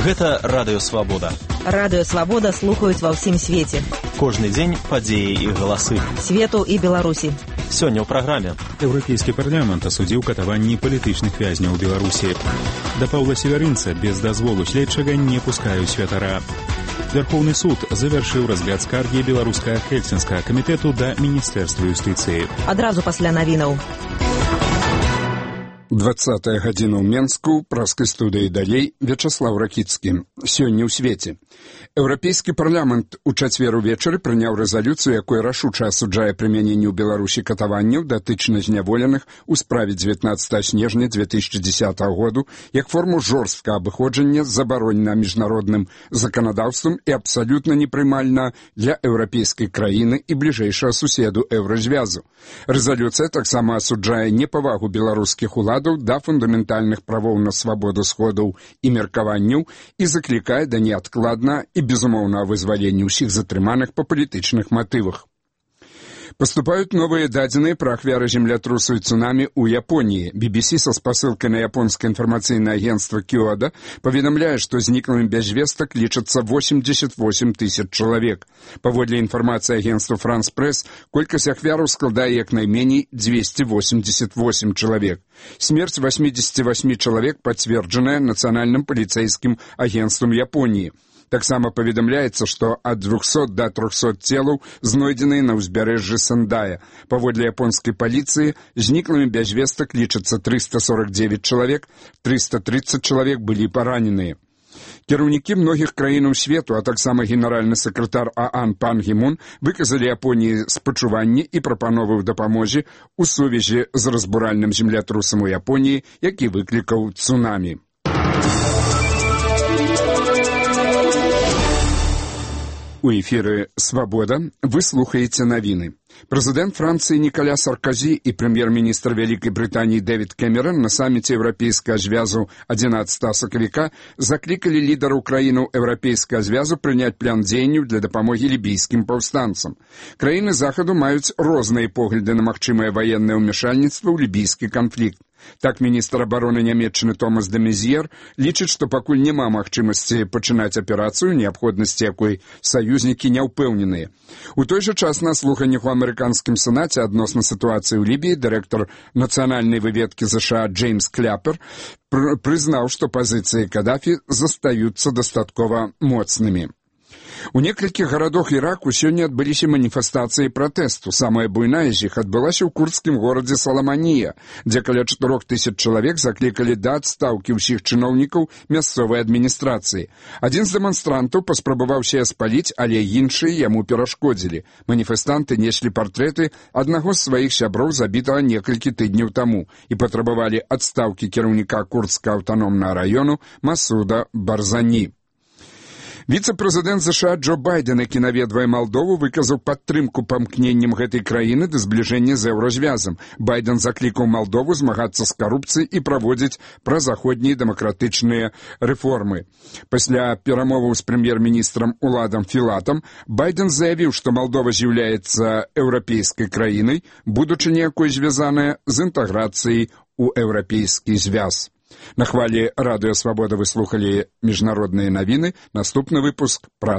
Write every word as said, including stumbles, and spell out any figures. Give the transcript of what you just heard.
Гэта Радыё Свабода. Радыё Свабода слухаюць ва ўсім свеце. Кожны дзень падзеі і галасы. Свету і Беларусі. Сёння ў праграме. Еўрапейскі парламент асудзіў катаванні палітычных вязняў у Беларусі. Да Паўла Севярынца без дазволу следчага не пускаюць святара. Верховны суд завяршыў разгляд скаргі беларускага Хельсінскага камітэту да Міністэрства юстыцыі. Адразу пасля навінаў. двадцатая гадзіна ў Менску, праскай студыі далей, Вячаслаў Ракіцкі. Сёння ў свеце. Еўрапейскі парламент у чацвер увечары прыняў рэзалюцыю, якой рашуча асуджае прымяненне ў Беларусі катаванняў датычна зняволеных у справе дзевятнаццатага снежня две тысячи дзесятага году як форму жорсткага абыходжання забаронена міжнародным заканадаўствам і абсалютна непрымальна для еўрапейскай краіны і бліжэйшага суседу еўразвязу. Рэзалюцыя таксама асуджае непавагу беларускіх уладаў да фундаментальных правоў на свабоду сходаў і меркаванняў і заклікае да неадкладна і безумоўнага вызвалення ўсіх затрыманых па палітычных матывах. Поступают новые дадзеныя пра ахвяры землятрусу и цунами у Японии. би би си со спасылкой на японское информационное агентство Киода поведомляет, что зниклыми без весток лічацца восемьдесят восемь тысяч человек. Паводле информации агентства France Press, колькасць ахвяраў складае як найменей двести восемьдесят восемь человек. Смерть восьмидесяти восьми человек подтвержденная Национальным полицейским агентством Японии. Таксама паведамляецца, што ад двухсот да трохсот целаў знойдзеныя на ўзбярэжжы Сендая. Паводле японскай паліцыі, зніклымі без вестак лічацца триста сорок девять чалавек, триста тридцать чалавек былі параненыя. Кіраўнікі многіх краінаў свету, а таксама генеральны сакратар ААН Пан Гі Мун выказалі Японіі спачуванні і прапановы ў дапамозе ў сувязі з разбуральным землятрусам у Японіі, які выклікаў цунамі. У эфіры «Свабода» вы слухаеце навіны. Прэзідэнт Францыі Нікаля Сарказі і прэм'ер-міністр Вялікай Брытаніі Дэвід Кэмерон на саміце Еўрапейскага звязу адзінаццатага сакавіка заклікалі лідараў краінаў Еўрапейскага звязу прыняць план дзеянняў для дапамогі лібійскім паўстанцам. Краіны захаду маюць розныя погляды на магчымае ваеннае ўмяшальніцтва ў лібійскі канфлікт. Так, міністр абароны Нямецчыны Томас де Мезьер лічыць, што пакуль няма магчымасці пачынаць аперацыю, неабходнасці якой саюзнікі не ўпэўненыя. У той жа час на слуханнях у амерыканскім сенаце адносна сітуацыі ў Лібіі дырэктар нацыянальнай выведкі ЗША Джеймс Кляпер прызнаў, што пазіцыі Кадафі застаюцца дастаткова моцнымі. У некалькіх гарадах Іраку сёння адбыліся маніфестацыі пратэсту. Самая буйная з іх адбылася ў курдскім горадзе Саламанія, дзе каля чатырох тысяч чалавек заклікалі да адстаўкі ўсіх чыноўнікаў мясцовай адміністрацыі. Адзін з дэманстрантаў паспрабаваў сябе спаліць, але іншыя яму перашкодзілі. Маніфестанты неслі партрэты аднаго з сваіх сяброў, забітага некалькі тыдняў таму, і патрабавалі адстаўкі кіраўніка курдскага аўтаномнага раёну Масуда Барзані. Віцэ-прэзідэнт ЗША Джо Байден, які наведвае Малдову, выказаў падтрымку памкненням гэтай краіны да збліжэння з еўразвязам. Байден заклікаў Малдову змагацца з карупцыяй і праводзіць празаходнія дэмакратычныя рэформы. Пасля перамоваў з прэм'ер-міністрам Уладам Філатам Байден заявіў, што Малдова з'яўляецца еўрапейскай краінай, будучы якой звязаная з інтэграцыяй у еўрапейскі звяз. На хвалі Радыё Свабода вы слухалі міжнародныя навіны. Наступны выпуск пра